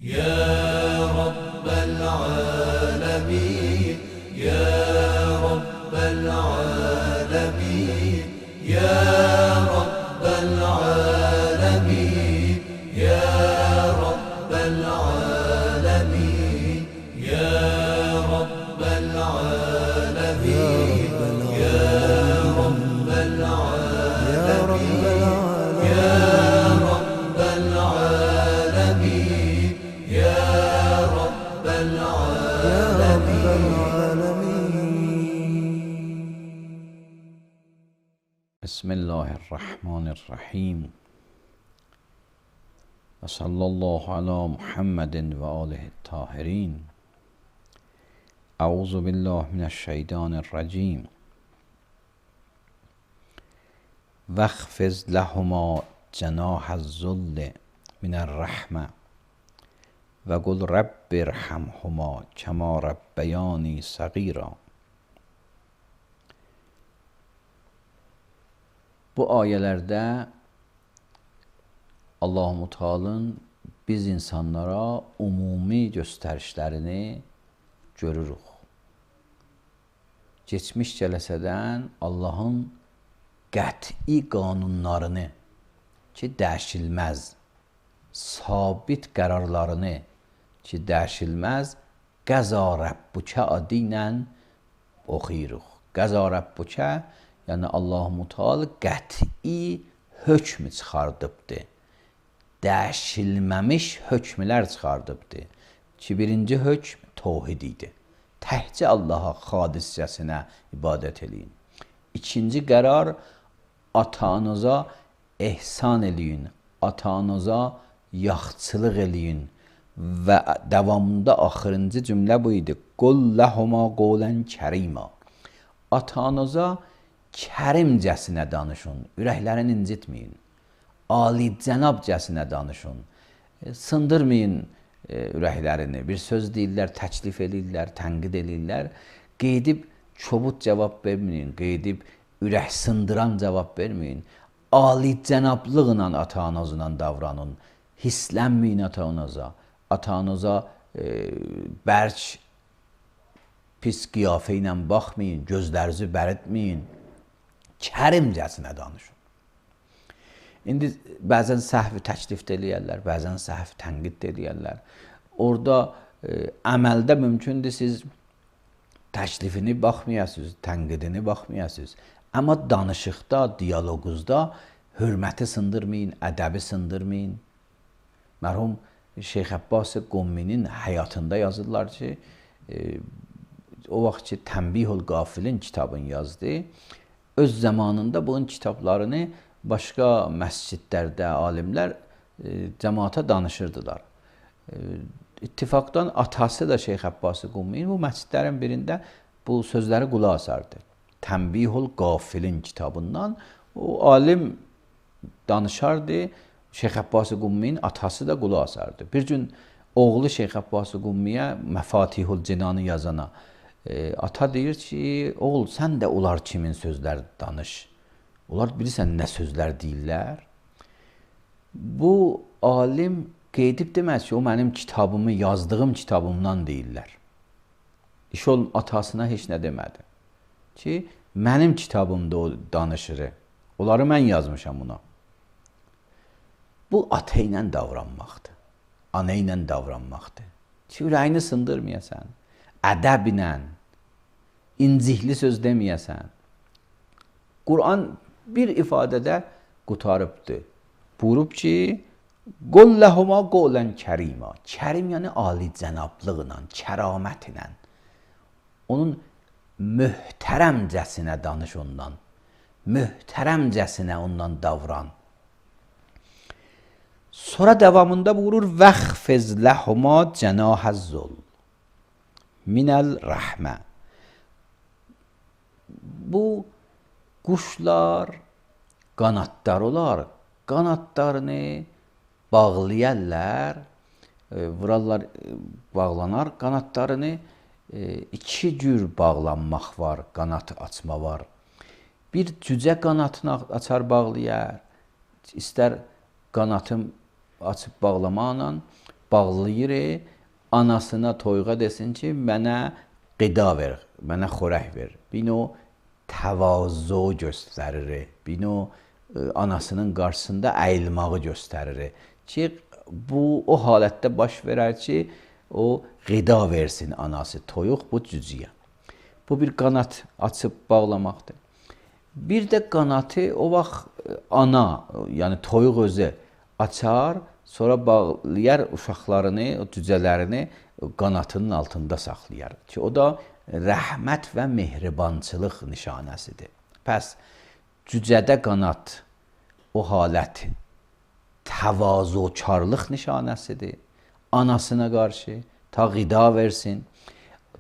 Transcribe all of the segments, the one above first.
يا رب العالمين يا رب العالمين يا رب العالمين يا رب العالمين يا رب العالمين يا رب العالمين يا رب العالمين يا رب العالمين. بسم الله الرحمن الرحیم و صلی الله علی محمد و آله الطاهرین. اعوذ بالله من الشیطان الرجیم. واخفض لهما جناح الذل من الرحمة وقل رب ارحمهما كما ربیانی صغیرا. Bu ayələrdə Allah-u Teala'nın biz insanlara umumi göstərişlərini görürük. Geçmiş cələsədən Allahın qəti qanunlarını ki, dəyişilməz, sabit qərarlarını ki, dəyişilməz, qəza Rəbbükə adı ilə oxuyuruq. Qəza Rəbbükə, yəni Allah-u Teala qəti hökm çıxardıbdır. Dəyişilməmiş hökmlər çıxardıbdır ki, birinci hökm tövhid idi. Təkcə Allaha xaliscəsinə ibadət eləyin. İkinci qərar, ata-anıza ehsan eləyin, ata-anıza yaxçılıq eləyin və davamında axırıncı cümlə bu idi. Qul ləhuma qolən kərima. Ata-anıza kərimcəsinə danışın, ürəklərini incitməyin. Alicənabcəsinə danışın. Sındırmayın ürəklərini. Bir söz deyirlər, təklif edirlər, tənqid edirlər. Qeydib çobud cavab verməyin, qeydib ürək sındıran cavab verməyin. Alicənablıqla ata-anızla davranın. Hislənməyin ata-anıza. Ata-anıza bərk, pis qiyafə ilə baxmayın, gözlərinizi bərətməyin. Kərimcəsinə danışın. İndi bəzən səhvi təklif eləyərlər, bəzən səhvi tənqid eləyərlər. Orada əməldə mümkündür siz təklifini baxmayasınız, tənqidini baxmayasınız. Amma danışıqda, diyaloquzda hörməti sındırmayın, ədəbi sındırmayın. Mərhum Şeyx Abbas Qumminin həyatında yazırlar ki, o vaxt ki Tənbihul Qafilin kitabını yazdı. Öz zamanında bunun kitablarını başqa məscidlərdə alimlər cəmaata danışırdılar. İttifaqdan atası da Şeyx Abbas Qumminin bu məscidlərin birində bu sözləri qulaq asardı. Tənbihul Qafilin kitabından o alim danışardı. Şeyx Abbas Qumminin atası da qulaq asardı. Bir gün oğlu Şeyx Abbas Qummiyə Məfatihul Cinanı yazana ata deyir ki, oğul sən də onlar kimin sözləri danış. Onlar bilirsən nə sözlər deyirlər. Bu alim qeydib deməz ki, o mənim kitabımı, yazdığım kitabımdan deyirlər. İş olun atasına heç nə demədi. Ki, mənim kitabımda o danışır. Onları mən yazmışam ona. Bu ata ilə davranmaqdır. Ana ilə davranmaqdır. Ki, ürəyini sındırmayasan. Ədəblə, incikli söz deməyəsən. Quran bir ifadədə qutarıbdır. Buyurub ki, qul ləhuma qolən kərima. Kərim yəni alicənablıqla, kəramətlə. Onun möhtərəmcəsinə danış ondan. Möhtərəmcəsinə ondan davran. Sonra davamında buyurur, vəxfiz ləhuma cənahəz-zul minəl rəhmə. Bu quşlar qanadlar olar. Qanadlarını bağlayarlar, vurarlar, bağlanar. Qanadlarını iki cür bağlanmaq var, qanat açma var. Bir cücə qanatını açar bağlayar. İstər qanatım açıb bağlamaqla, bağlayır, anasına toyuğa desin ki, mənə qida ver, mənə xörək ver. Bir o təvazu göstərir. Bir o anasının qarşısında əyilməyi göstərir. Ki, bu o halətdə baş verər ki, o qida versin anası, toyuq bu cüziyə. Bu bir qanat açıb bağlamaqdır. Bir də qanatı o vaxt ana, yəni toyuq özü açar, sonra bağlayar uşaqlarını, o cücələrini qanatının altında saxlayar. Ki, o da rəhmət və mehribançılıq nişanəsidir. Pəs, cücədə qanat o halət təvazukarlıq nişanəsidir. Anasına qarşı ta qida versin.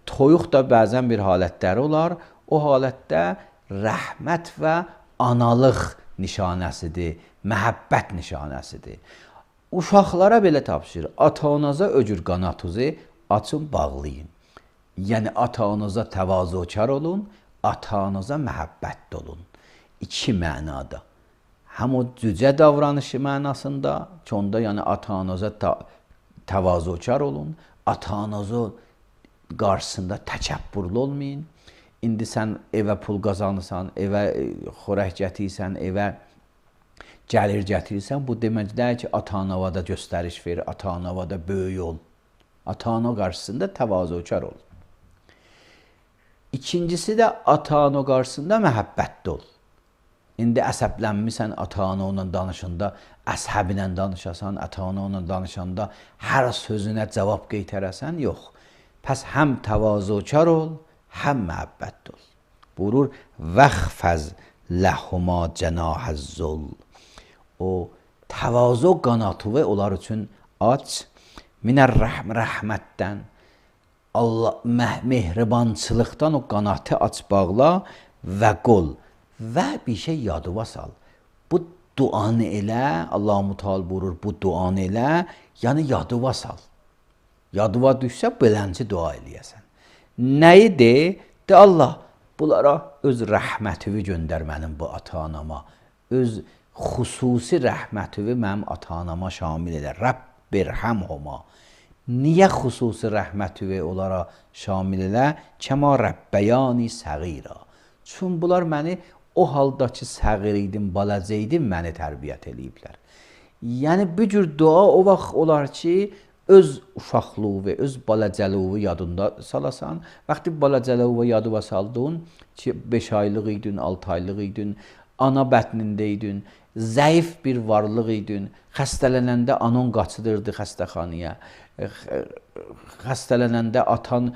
Toyuq da bəzən bir halətləri olar. O halətdə rəhmət və analıq nişanəsidir, məhəbbət nişanəsidir. Uşaqlara belə tapşırır. Ata-anaza öcür qanatınızı açın, bağlayın. Yəni, ata-anaza təvazukar olun, ata-anaza məhəbbətli olun. İki mənada. Həm o cücə davranışı mənasında ki, onda yəni ata-anaza təvazukar olun, ata-anaza qarşısında təkəbbürlü olmayın. İndi sən evə pul qazanırsan, evə xörək gətirirsən, evə gəlir gətirirsən, bu deməkdir ki, ata-anavada göstəriş ver, ata-anavada böyük ol. Ata-ana qarşısında təvazukar ol. İkincisi də ata-ana qarşısında məhəbbətli ol. İndi əsəblənmirsən ata-ana ilə danışanda, əsəb ilə danışasan, ata-ana ilə danışanda hər sözünə cavab qeytərəsən, yox. Pəs həm təvazukar ol, həm məhəbbətli ol. Buyurur, vəxfəz ləhuma cənahəz-zul. O təvazu qanatı onlar üçün aç, minər rəhmətdən, Allah mehribançılıqdan o qanatı aç bağla və qol və bir şey yadıva sal. Bu duanı elə, Allah-u Teala buyurur, bu duanı elə, yəni yadıva sal. Yadıva düşsə belənci dua eləyəsən. Nəyi de? De Allah, bunlara öz rəhmətini göndər mənim bu ata-anama. Öz xüsusi rəhmətini mənim ata-anama şamil edə. Rəbbirhəmhuma. Niyə xüsusi rəhmətini onlara şamil elə? Kəma rəbbəyani səğira. Çün bunlar məni o halda ki, səğir idim, balaca idim, məni tərbiyyət eləyiblər. Yəni, bir cür dua o vaxt olar ki, öz uşaqlığı və öz balacılığı yadında salasan. Vaxtı balacılığı yadıva saldın ki, 5 aylıq idin, 6 aylıq idin, ana bətnində idin, zəif bir varlıq idin, xəstələnəndə anan qaçıdırdı xəstəxanaya, xəstələnəndə atan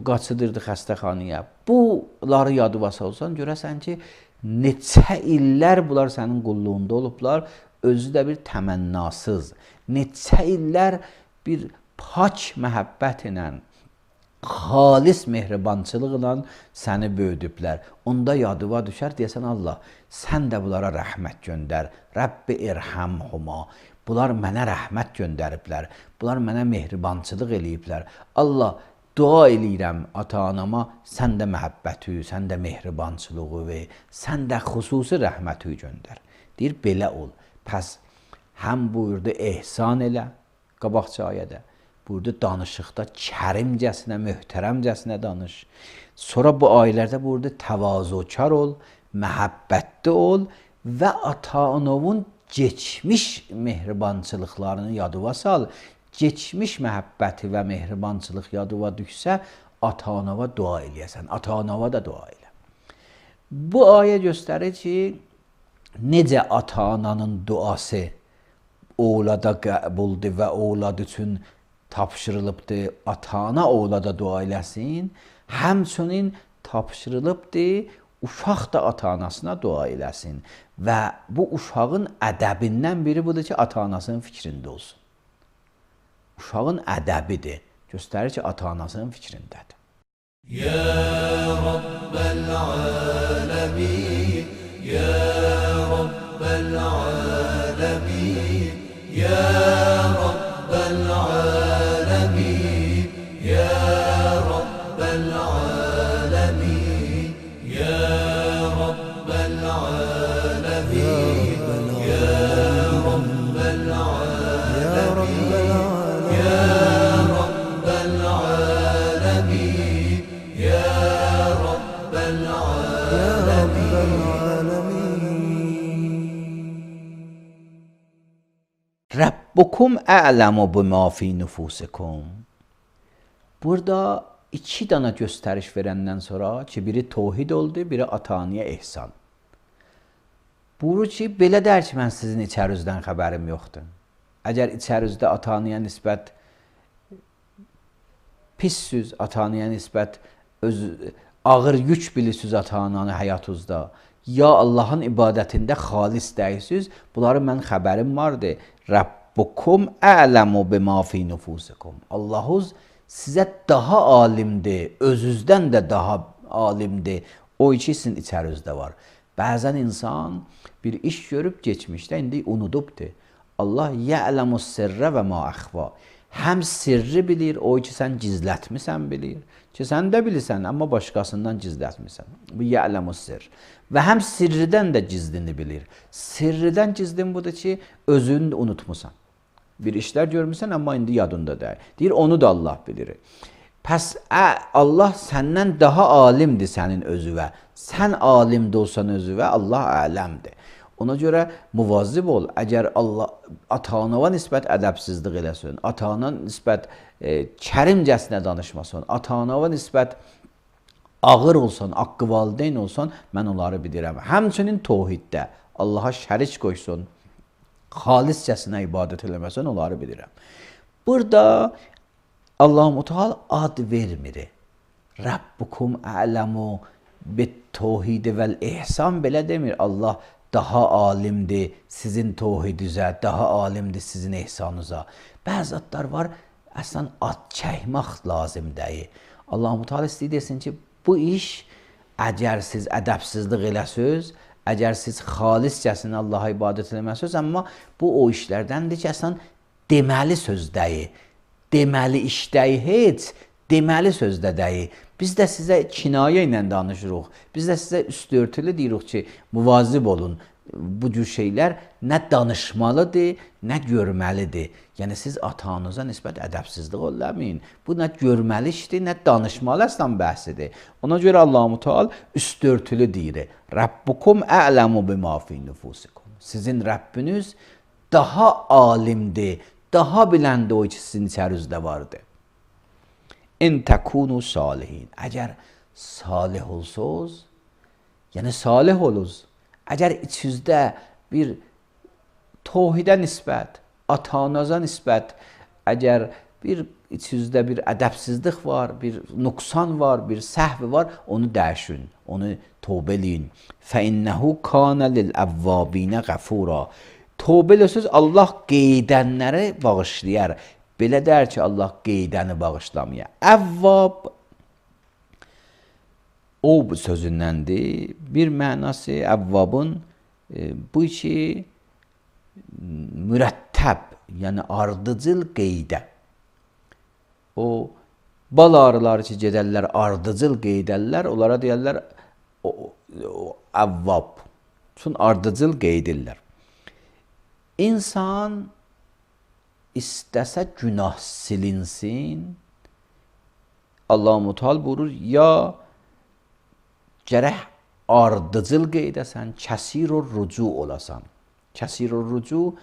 qaçıdırdı xəstəxanaya. Bunları yadıva salsan, görəsən ki, neçə illər bunlar sənin qulluğunda olublar, özü də bir təmənnasız, neçə illər bir pak məhəbbət ilə, xalis mehribançılıqla səni böyüdüblər. Onda yadıva düşər, deyəsən Allah, sən də bunlara rəhmət göndər. Rəbbi irhəmhuma. Bunlar mənə rəhmət göndəriblər. Bunlar mənə mehribançılıq eləyiblər. Allah, dua eləyirəm ata-anama, sən də məhəbbəti, sən də mehribançılığı və sən də xüsusi rəhməti göndər. Deyir, belə ol. Pəs, həm buyurdu, ehsan elə, qabaqçı ayədə. Burada danışıqda kərimcəsinə, möhtərəmcəsinə danış. Sonra bu ayələrdə burada təvazukar ol, məhəbbətli ol və ata-anavın geçmiş mehribançılıqlarını yadıva sal. Geçmiş məhəbbəti və mehribançılıq yadıva düşsə, ata-anava dua eləyəsən. Ata-anava da dua elə. Bu ayə göstərir ki, necə ata-ananın duası oğlada qəbuldur və oğlad üçün tapşırılıbdır, ata-ana oğlada dua eləsin, həmçinin tapşırılıbdır, uşaq da ata-anasına dua eləsin. Və bu uşağın ədəbindən biri budur ki, ata-anasının fikrində olsun. Uşağın ədəbidir. Göstərir ki, ata-anasının fikrindədir. Ya Rabbel alemin, Ya Rabbel alemin, Ya Rabbel alemin, Ya Rabbel alemin, Ya Rabbel alemin, Ya Rabbel alemin, Ya Rabbukum a'lemu bima fi nufusikum. Burada iki dana göstəriş verəndən sonra ki, biri tövhid oldu, biri ataniyə ehsan. Buyurur ki, belə dər ki, mən sizin içərinizdən xəbərim yoxdur. Əgər içərinizdə ataniyə nisbət pis söz, ataniyə nisbət ağır yük bilirsiniz atananı həyatınızda, ya Allahın ibadətində xalis dəyirsiniz, bunları mən xəbərim vardır. Rabbukum a'lemu bima fi nufusikum. Allahuz sizə daha alimdir, özünüzdən də daha alimdir. O iki sizin içərinizdə var. Bəzən insan bir iş görüb geçmişdə indi unudubdur. Allah ya'lemus sirre və ma əxfa. Həm sirri bilir, o ki sən gizlətmisən bilir. Ki sən də bilirsən, amma başqasından gizlətmisən. Bu ya'lemus sirr. Və həm sirridən də gizlini bilir. Sirridən gizlin budur ki, özünü də unutmusan. Bir işlər görmüsən, amma indi yadında deyil. Deyir, onu da Allah bilir. Pəs Allah səndən daha alimdir sənin özüvə. Sən alimdə olsan özüvə, Allah aləmdir. Ona görə muvazib ol. Əgər Allah ata-anava nisbət ədəbsizlik eləsin, ata-ana nisbət kərimcəsinə danışmasın, ata-anava nisbət ağır olsan, haqqı valideyn olsan, mən onları bilirəm. Həmçinin tövhiddə Allaha şərik qoysun, xaliscəsinə ibadət eləməsən, onları bilirəm. Burada Allah-u Teala ad vermir. Rabbukum a'lemu bit-tevhid vel-ihsan belə demir. Allah daha alimdir sizin tevhidinizə, daha alimdir sizin ihsanınıza. Bəzi adlar var, əslən ad çəkmək lazım deyil. Allah-u Teala istəyir desin ki, bu iş əgər siz ədəbsizlik eləsiniz, əgər siz xaliscəsinə Allaha ibadət eləməsiniz, amma bu o işlərdəndir ki, əslən deməli söz deyil. Deməli iş deyil, heç deməli sözdə deyil. Biz də sizə kinayə ilə danışırıq. Biz də sizə üstörtülü deyirik ki, muvazib olun. Bu cür şeylər nə danışmalıdır, nə görməlidir. Yəni siz ata-anıza nisbət ədəbsizlik eləməyin. Bu nə görməli işdir, nə danışmalı əslən bəhsidir. Ona görə Allah-u Teala üstörtülü deyir. Rabbukum a'lemu bima fi nufusikum. Sizin Rəbbiniz daha alimdir, daha biləndir o ki sizin içərinizdə vardır. İn təkunu salihin. Əgər salih olsuz, yəni salih oluz, əgər içinizdə bir tövhidə nisbət, ata-anaza nisbət, əgər bir içinizdə bir ədəbsizlik var, bir nüqsan var, bir səhv var, onu dəyişin, onu tövbə eləyin. Fəinnəhu kana lil-əvvabinə qəfura. Tövbə eləsiniz, Allah qeydənləri bağışlayar. Belə dər ki, Allah qeydəni bağışlamaya. Əvvab o sözündəndir. Bir mənası əvvabın bu ki mürəttəb, yəni ardıcıl qeydə. O bal arıları ki gedərlər, ardıcıl qeydərlər, onlara deyərlər əvvab. Çünki ardıcıl qeydirlər. İnsan istəsə günah silinsin, Allah-u Teala buyurur, ya gərək ardıcıl qeydəsən, kəsir-ur rucu olasan. Kəsir-ur rucu,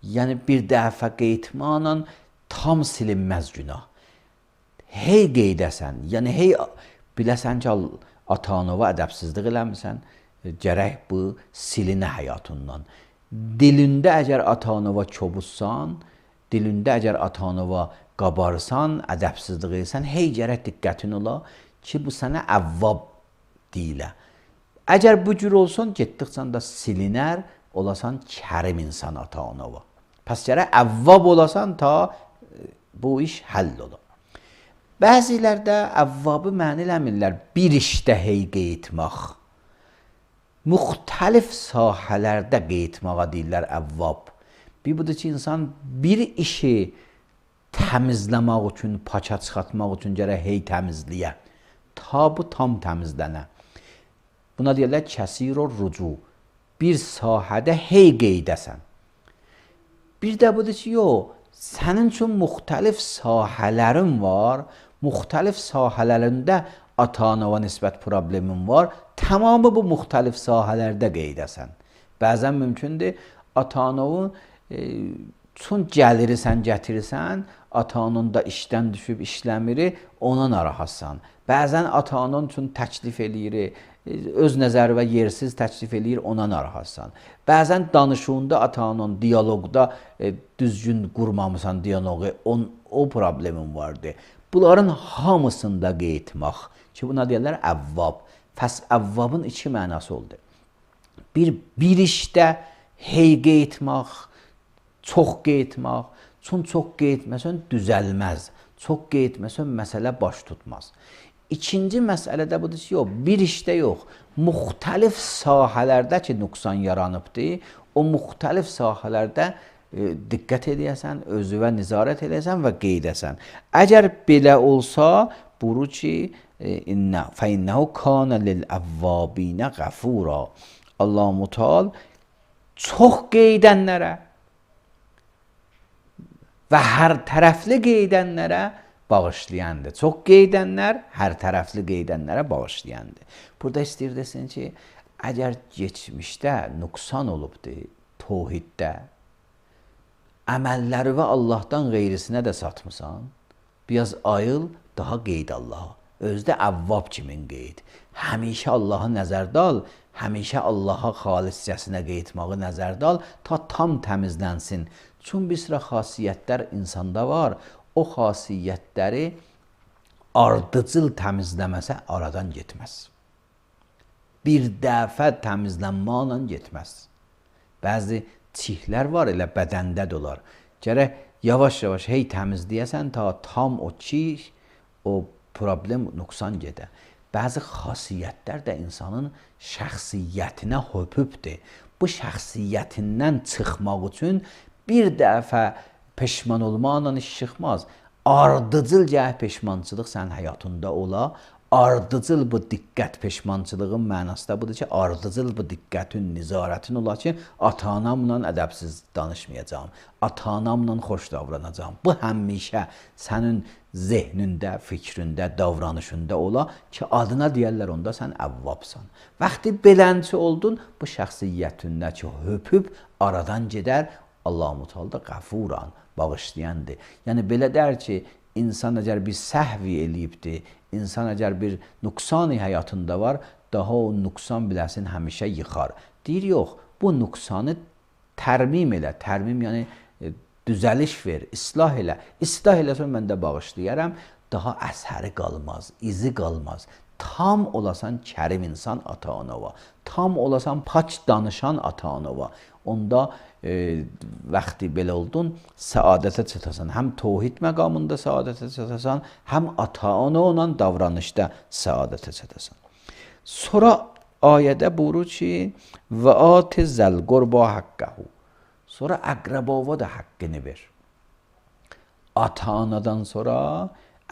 yəni bir dəfə qeytmanla tam silinməz günah. Hey qeydəsən, yəni hey biləsən ki, ata-anava ədəbsizlik eləmirsən, gərək bu silinə həyatından. Dilində əgər ata-anava kobuzsan, dilində əgər ata-anava qabarsan, ədəbsizlik edirsən, hey gərək diqqətin ola ki, bu sənə əvvab deyilə. Əgər bu cür olsun, getdikcə da silinər, olasan kərim insan ata-anava. Pəs gərək əvvab olasan ta bu iş həll ola. Bəzilərdə əvvabı məni eləmirlər, bir işdə hey qeytmək. Müxtəlif sahələrdə qeytmağa deyirlər əvvab. Bir budur ki, insan bir işi təmizləmək üçün, paça çıxartmaq üçün gərək hey təmizləyə. Ta bu tam təmizlənə. Buna deyirlər kəsir-ur rucu. Bir sahədə hey qeydəsən. Bir də budur ki, yox, sənin üçün müxtəlif sahələrin var, müxtəlif sahələrində ata-anava nisbət problemin var, tamamı bu müxtəlif sahələrdə qeydəsən. Bəzən mümkündür, ata-anavın Çün gəlirsən, gətirirsən, ata-anan da işdən düşüb işləmir, ona narahatsan. Bəzən ata-anan üçün təklif eləyir, öz nəzəri və yersiz təklif eləyir, ona narahatsan. Bəzən danışığında ata-anan dialoqda düzgün qurmamısan dialoqu, o problemin vardı. Bunların hamısında qeytmaq ki, buna deyirlər əvvab. Pəs əvvabın iki mənası oldu. Bir işdə hey qeytmaq, çox qeytmaq. Çünki çox qeytməsən düzəlməz. Çox qeytməsən məsələ baş tutmaz. İkinci məsələ də budur ki, bir işdə yox, müxtəlif sahələrdə ki, nüqsan yaranıbdır, o müxtəlif sahələrdə diqqət edəsən, özünə nizarət edəsən və qeydəsən. Əgər belə olsa, buyurur ki, فَإِنَّهُ كَانَ لِلْأَوَّابِينَ غَفُورًا. Allah-u Teala çox qeydənlərə və hər tərəfli qeydənlərə bağışlayandır. Çox qeydənlər hər tərəfli qeydənlərə bağışlayandır. Burada istəyir desin ki, əgər geçmişdə nüqsan olubdur tövhiddə, əməlləri və Allahdan qeyrisinə də satmısan, biraz ayıl, daha qeyd Allaha. Özdə əvvab kimin qeyd. Həmişə Allahı nəzərdə al, həmişə Allaha xaliscəsinə qeydmağı nəzərdə al, ta tam təmizlənsin. Çünki bir sıra xasiyyətlər insanda var, o xasiyyətləri ardıcıl təmizləməsə aradan getməz. Bir dəfə təmizlənməklə getməz. Bəzi çihlər var, elə bədəndə də olar. Gərək yavaş-yavaş hey təmizləyəsən, ta tam o çih, o problem, nüqsan gedə. Bəzi xasiyyətlər də insanın şəxsiyyətinə höpübdür. Bu şəxsiyyətindən çıxmaq üçün bir dəfə peşman olmaqla iş çıxmaz. Ardıcıl gəh peşmançılıq sənin həyatında ola. Ardıcıl bu diqqət peşmançılığın mənası da budur ki, ardıcıl bu diqqətin, nizarətin ola ki, ata-anamla ədəbsiz danışmayacağım, ata-anamla xoş davranacağım. Bu həmişə sənin zehnində, fikrində, davranışında ola ki, adına deyərlər onda sən əvvabsan. Vaxtı belənçi oldun, bu şəxsiyyətindəki höpüb aradan gedər, Allah-u Teala da qəfuran, bağışlayandır. Yəni belə dər ki, insan əgər bir səhvi eləyibdir, insan əgər bir nüqsan həyatında var, daha o nüqsan biləsin həmişə yıxar. Deyir, yox, bu nüqsanı tərmim elə, tərmim yəni düzəliş ver, islah elə. İslah eləsən mən də bağışlayaram, daha əsəri qalmaz, izi qalmaz. Tam olasan kərim insan ata-anava, tam olasan pak danışan ata-anava. Onda vaxtı belə oldun, səadətə çatasan. Həm tövhid məqamında səadətə çatasan, həm ata-ana olan davranışda səadətə çatasan. Sonra ayədə buyurur ki, və ati zəl qurba haqqəhu. Sonra əqrəbava da haqqını ver. Ata-anadan sonra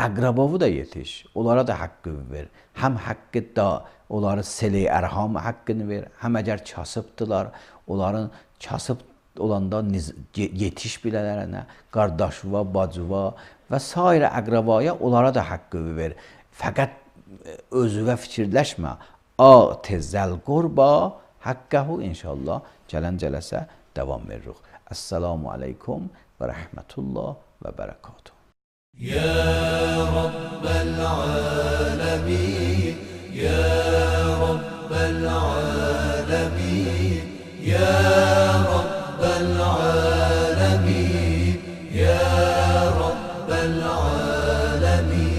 əqrəbavı da yetiş, onlara da haqqı ver. Həm haqqı da onları seli ərham haqqını ver, həm əgər kasıbdılar, onların kasıb olanda yetiş bilələrənə, qardaşıva, bacıva və s. əqrəbaya onlara da haqqı ver. Fəqət özüvə fikirləşmə. Ati zəl qurba haqqəhu inşallah gələn cələsə davam veririk. Əssalamu aleykum və rəhmətullah və bərəkatuhu. يا رب العالمين يا رب العالمين يا رب العالمين يا رب العالمين